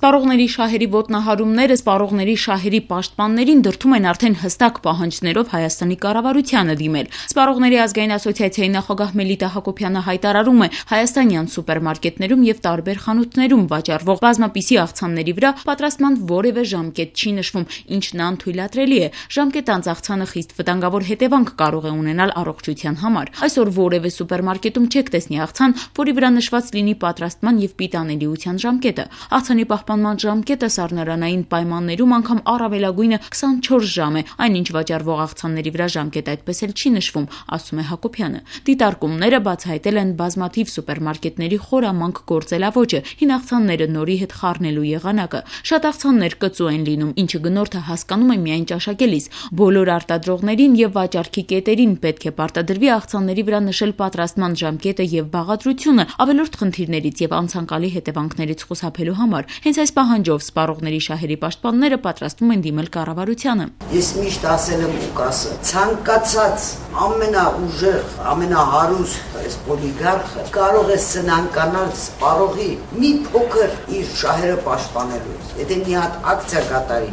Սպառողների շահերի ոտնահարումները սպառողների շահերի պաշտպաններին դրդում են արդեն հստակ պահանջներով Հայաստանի կառավարությանը դիմել։ Սպառողների ազգային ասոցիացիայի նախագահ Մելիթա Հակոբյանը հայտարարում է, հայաստանյան սուպերմարկետներում եւ տարբեր խանութներում վաճառվող բազմապիսի աղցանների վրա պատրաստման որևէ ժամկետ չի նշվում, ինչն անթույլատրելի է։ Ժամկետանց աղցանը խիստ վտանգավոր հետևանք կարող է ունենալ առողջության համար։ Այսօր որևէ սուպերմարկետում չեք տեսնի աղցան, որի վրա նշված լինի պատրաստման եւ պիտանելիության ժամկետը։ Աղցանի պահպանման ժամկետը սառնարանային պայմաններում անգամ առավելագույնը 24 ժամ է, այնինչ վաճառվող աղցանների վրա ժամկետ այդպես էլ չի նշվում, ասում է Հակոբյանը։ Դիտարկումները բացահայտել են բազմաթիվ սուպերմարկետների խորամանկ գործելավոճը, հին աղցանները նորի հետ խառնելու եղանակը։ Շատ աղցաններ կծու են լինում, ինչը գնորդը հասկանում է միայն ճաշակելիս։ Բոլոր արտադրողներին եւ վաճառքի կետերին պետք է պարտադրվի աղցանների վրա նշել պատրաստման ժամկետը եւ բաղադրությունը ավելորդ խնդիրներից եւ անցանկալի հետևանքներից խուսափելու համար։ Հենց այս պահանջով սպառողների շահերի պաշտպանները պատրաստվում են դիմել կառավարությանը։ Ես միշտ ասել եմ ու կասեմ, ցանկացած ամենաուժեղ, ամենահարուստ այս օլիգարխը կարող է սնանկանալ սպառողի մի փոքր իր շահերը պաշտպանելու։ Եթե մի հատ ակցիա կատարի,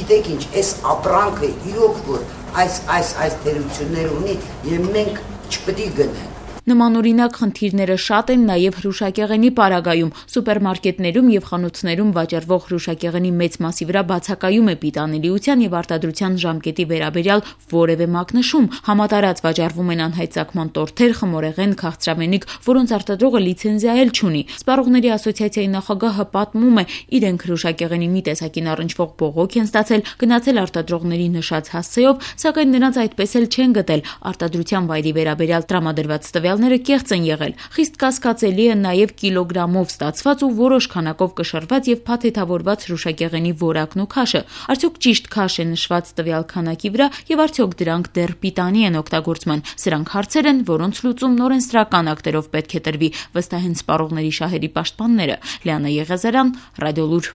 գիտեք ինչ, այս ապրանքը իրոք որ այս թերություններ ունի եւ մենք չպետք է գնանք։ Նմանօրինակ խնդիրները շատ են նաև հրուշակեղենի պարագայում։ Սուպերմարկետներում եւ խանութներում վաճառվող հրուշակեղենի մեծ մասի վրա բացակայում է պիտանելիության եւ արտադրության ժամկետի վերաբերյալ որևէ մակնշում։ Համատարած վաճառվում են անհայտ ծագման տորթեր, խմորեղեն, քաղցրավենիք, որոնց արտադրողը լիցենզիա էլ չունի։ Սպառողների ասոցիացիայի նախագահը պատմում է, իրենք հրուշակեղենի մի տեսակին առնչվող բողոք են ստացել, գնացել արտադրողների նշած հասցեով, սակայն նրանց այդպես էլ չեն գտել։ Արտադրության վայրի վերաբերյալ տրամադրված տվյալները կեղծ են եղել։ Խիստ կասկածելի է նաև կիլոգրամով ստացված ու որոշ քանակով կշռված եւ փաթեթավորված հրուշակեղենի որակն ու քաշը։ Արդյոք ճիշտ քաշ է նշված տվյալ քանակի վրա եւ արդյոք դրանք դեռ պիտանի են օգտագործման։ Սրանք հարցեր են, որոնց լուծումն օրենսդրական ակտերով պետք է տրվի, վստահ են սպառողների շահերի պաշտպանները։ Լիանա Եղիազարյան, Ռադիոլուր։